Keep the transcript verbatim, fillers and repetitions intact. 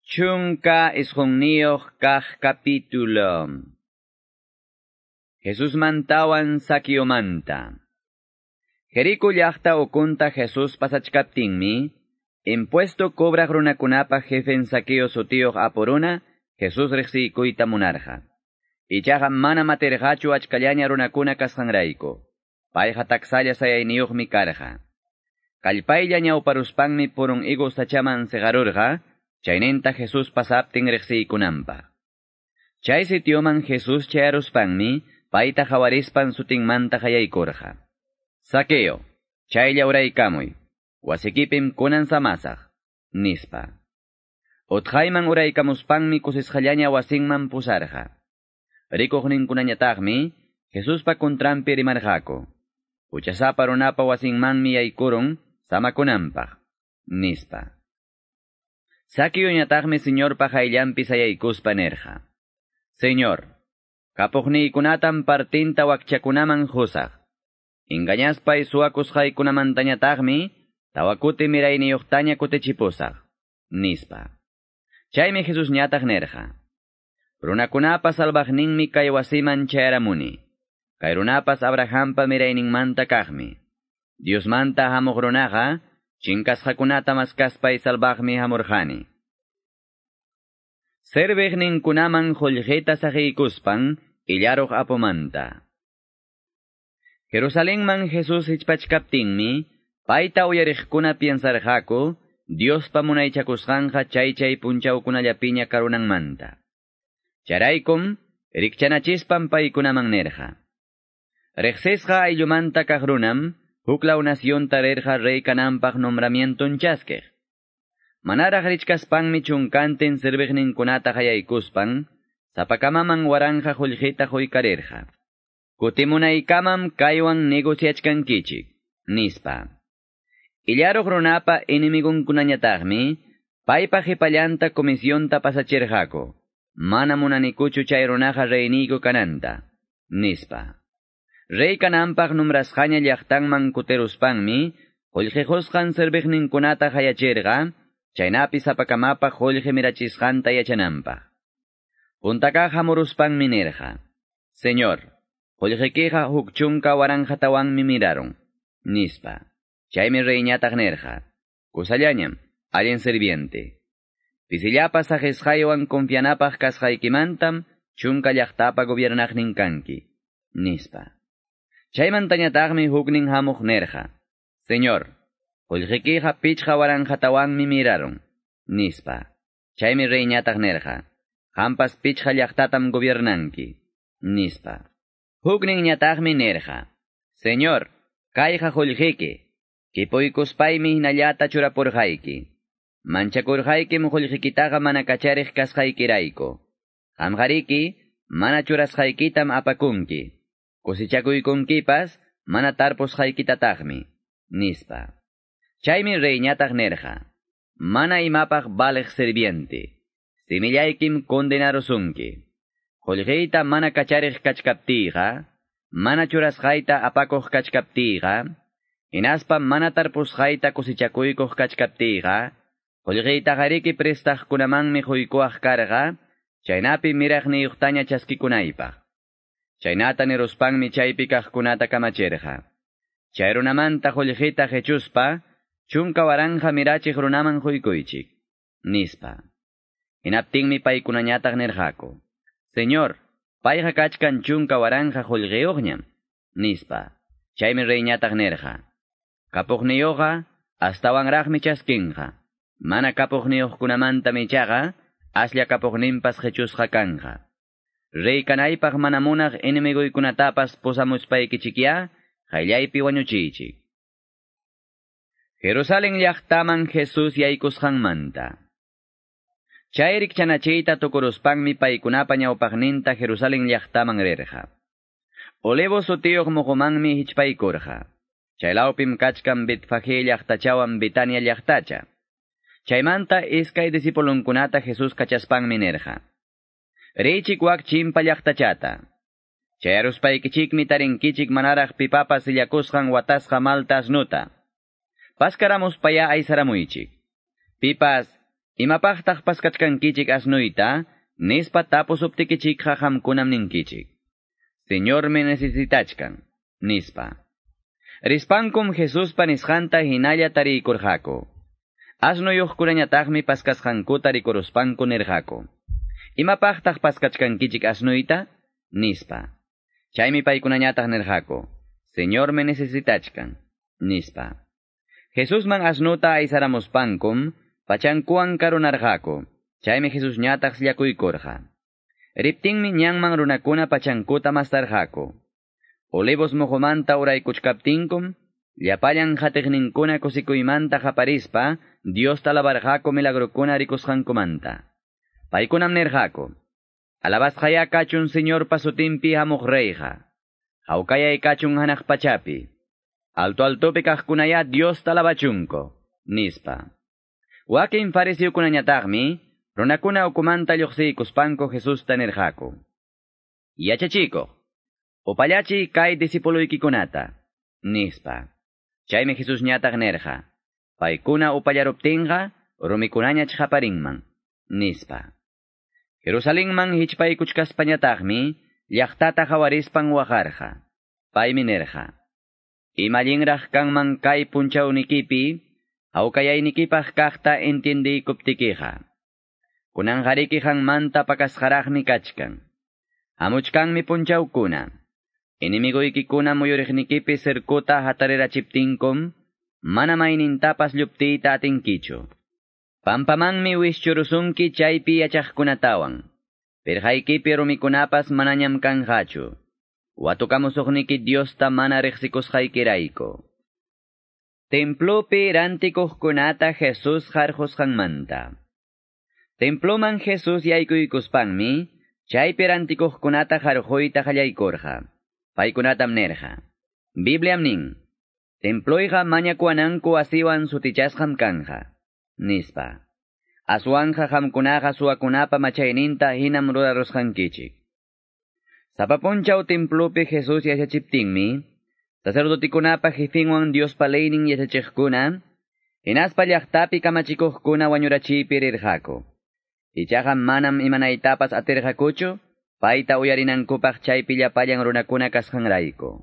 Chunka isqunniyuq kaq capítulo. Jesus mantawan Saqueomanta. Jerico llaqta ukunta Jesus pasachkaptinmi, impuesto cobraq runakunapa jefen Saqueo sutiyuq apuruna, Jesus riqsiykuyta munarqa. Ichaqa mana matirqachu achkallaña runakuna kasqanrayku. Payqa taksalla sayayniyuqmi karqa. Kallpaylla ñawparuspanmi purun higo sachaman seqarurqa, chayninta Jesus pasaptin riqsiykunanpaq. Chay sitioman Jesus chayaruspanmi, payta hawarispan sutinmanta qayaykurqa. Saqueo, chaylla uraykamuy, wasikipim kunan samasaq, nispa. Utqayman uraykamuspanmi kusisqallaña wasinman pusarqa. Rikuqninkunañataqmi, Jesuspa kuntranpi rimarqaku. Huchasapa runapa wasinmanmi yaykurun samakunanpaq, nispa. Saqueoñataqmi Señorpa qayllanpi sayaykuspa nirqa. Señor, kapuqniykunatam partinta wakchakunaman qusaq. Engañaspay suwakusqaykunamantañataqmi tawa kuti mirayniyuqtaña kutichipusaq, nispa. Chaymi Jesusñataq nirqa. Runakunapa salvaqninmi kay wasiman chayaramuni. Kay runapas Abrahampa mirayninmanta kaqmi. Diosmanta hamuq runaqa chinkasqakunata maskaspay salvaqmi hamurqani. Serviqninkunaman qullqita saqiykuspan illaruq apumanta. Jerusalenman Jesus hichpachkaptinmi, payta uyariqkuna piensarqaku, Diospa munaychakusqanqa chay chay punchawkunallapiña karunanmanta. Charaykum, rikchanachispan paykunaman nirqa. Riqsisqa ayllumanta kaq runam, huklaw nacionta rirqa rey kananpaq nombramienton chaskiq. Manaraq richkaspanmi chunkantin serviqninkunata qayaykuspan, sapakamaman waranqa qullqita quykarirqa. Kutimunaykamam kaywan negociachkankichik, nispa. Illaruq runapa enemigunkunañataqmi, paypa qhipallanta comisionta pasachirqaku. Mana munanikuchu chay runaqa reyniyku kananta, nispa. Rey kananpaq nombrasqaña llaqtanman kutiruspanmi, qullqi qusqan serviqninkunata qayachirqa, chaynapi sapakamapaq qullqi mirachisqanta yachananpaq. Puntakaq hamuruspanmi nirqa, Señor, qullqikiqa huk chunka waranqatawanmi mirarun, nispa. Chaymi reyñataq nirqa, kusallañam, allin sirviente. Pisillapas saqisqaywan confianapaq kasqaykimantam chunka llaqtapa gobiernaqnin kanki, nispa. Chaymantañataqmi huknin hamuq nirqa, Señor, qullqikiqa pichqa waranqatawanmi mirarun, nispa. Chaymi reyñataq nirqa, qampas pichqa llaqtatam gobiernanki, nispa. Hukninñataqmi nirqa, Señor, kayqa qullqiki, kipuykuspaymi hinallata churapurqayki. Manchakurqaykim qullqikitaqa mana kachariq kasqaykirayku. Qamqariki, mana churasqaykitam apakunki. Kusichakuykunkipas, mana tarpusqaykitataqmi, nispa. Chaymi reyñataq nirqa, mana imapaq valeq sirviente, simillaykim condenarusunki. Qullqiyta mana kachariq kachkaptiyqa, mana churasqayta apakuq kachkaptiyqa, hinaspa mana tarpusqayta kusichakuykuq kachkaptiyqa, qullqiytaqariki prestaqkunamanmi quykuwaq karqa, chaynapi miraqniyuqtaña chaskikunaypaq. Chaynata niruspanmi chaypi kaqkunata kamachirqa. Chay runamanta qullqita qechuspa, chunka waranqa mirachiq runaman quykuychik, nispa. Hinaptinmi paykunañataq nirqaku, Señor, payqa kachkan chunka waranqa qullqiyuqñam, nispa. Chaymi reyñataq nirqa, kapuqniyuqqa astawanraqmi chaskinqa. Mana kapuqniyuqkunamantam ichaqa, aslla kapuqninpas qechusqa kanqa. Rey kanaypaq mana munaq enemiguykunatapas pusamuspaykichikya, qayllaypi wañuchiychik. Jerusalén llaqtaman Jesus yaykusqanmanta. Chay rikchanachiyta tukuruspanmi paykunapa ñawpaqninta Jerusalén llaqtaman rirqa. Olivo sutiyuq muqumanmi hichpaykurqa. Chaylawpim kachkan Betfagé llaqtachawan Betania llaqtacha. Chaymanta iskay discipulunkunata Jesus kachaspanmi nirqa. Riychik wak chimpa llaqtachata. Chayaruspaykichikmi tarinkichik manaraq pipapas sillakusqan watasqa malta asnuta. Paskaramuspaya aysaramuychik. Pipas, Imapaqtaq paskachkankichik asnuyta, nispa tapusuptikichikqa qamkunam ninkichik. Señor me necesitachkan, nispa. Rispankum Jesuspa nisqanta hinalla tariykurqaku. Asnuyuqkunañataqmi paskasqankuta rikuruspanku nirqaku. Imapaqtaq paskachkankichik asnuyta? Nispa. Chaymi paykunañataq nirqaku. Señor me necesitachkan, nispa. Jesusman asnuta aysaramuspankum, pachankuwan karunarqaku. Chaymi Jesusñataq sillakuykurqa. Riptinmi ñanman runakuna pachankuta mastarqaku. Olivos moqomanta uraykuchkaptinkum, llapallan qatiqninkuna kusikuymanta qaparispa, Diosta alabarqaku milagrokuna rikusqankumanta. Paykunam nirqaku, alabasqaya kachun Señorpa sutinpi hamuq reyqa. Hawkayay kachun hanaq pachapi. Alto altopi kaqkunaya Diosta alabachunko, nispa. Wakin fariseokunañataqmi, runakuna ukumanta lluqsiykuspanku Jesusta nirqaku. Yachachikuq, upallachiy kay discipuluykikunata, nispa. Chaymi Jesusñataq nirqa, paykuna upallaruptinqa, rumikunañach qaparinman, nispa. Jerusalenman hichpaykuchkaspañataqmi, llaqtata qawarispan waqarqa. Paymi nirqa, imallinraq kanman kay punchawnikipi, hawkayaynikipaq kaqta entiendiykuptikiqa. Kunanqariki qanmanta pakasqaraqmi kachkan. Hamuchkanmi punchawkuna. Enemigoykikuna muyuriqnikipi cercota hatarirachiptinkum, mana maynintapas lluptiyta atinkichu. Pampamanmi wischurusunki chaypi yachaqkunatawan. Pirqaykipi rumikunapas manañam kanqachu. Watukamusuqniki Diosta mana riqsikusqaykirayku. Templopi rantikuqkunata Jesús qarqusqanmanta. Temploman Jesús yaykuykuspanmi, chaypi rantikuqkunata qarquyta qallaykurqa. Paykunatam nirqa. Bibliam nin, temployqa mañakuwananku asiwan sutichasqam kanja, nispa. Aswanja qamkunaqa suwakunapa machayninta hinam rurarusqankichik. Sapa punchaw templopi Jesús yachachiptinmi, sacerdotikunapa jefinwan Diospa leynin yachachiqkuna, hinaspa llaqtapi kamachikuqkuna wañurachiypi rirqaku. Ichaqa manam imanaytapas atirqakuchu, payta uyarinankupaq chaypi llapallan runakuna kasqanrayku.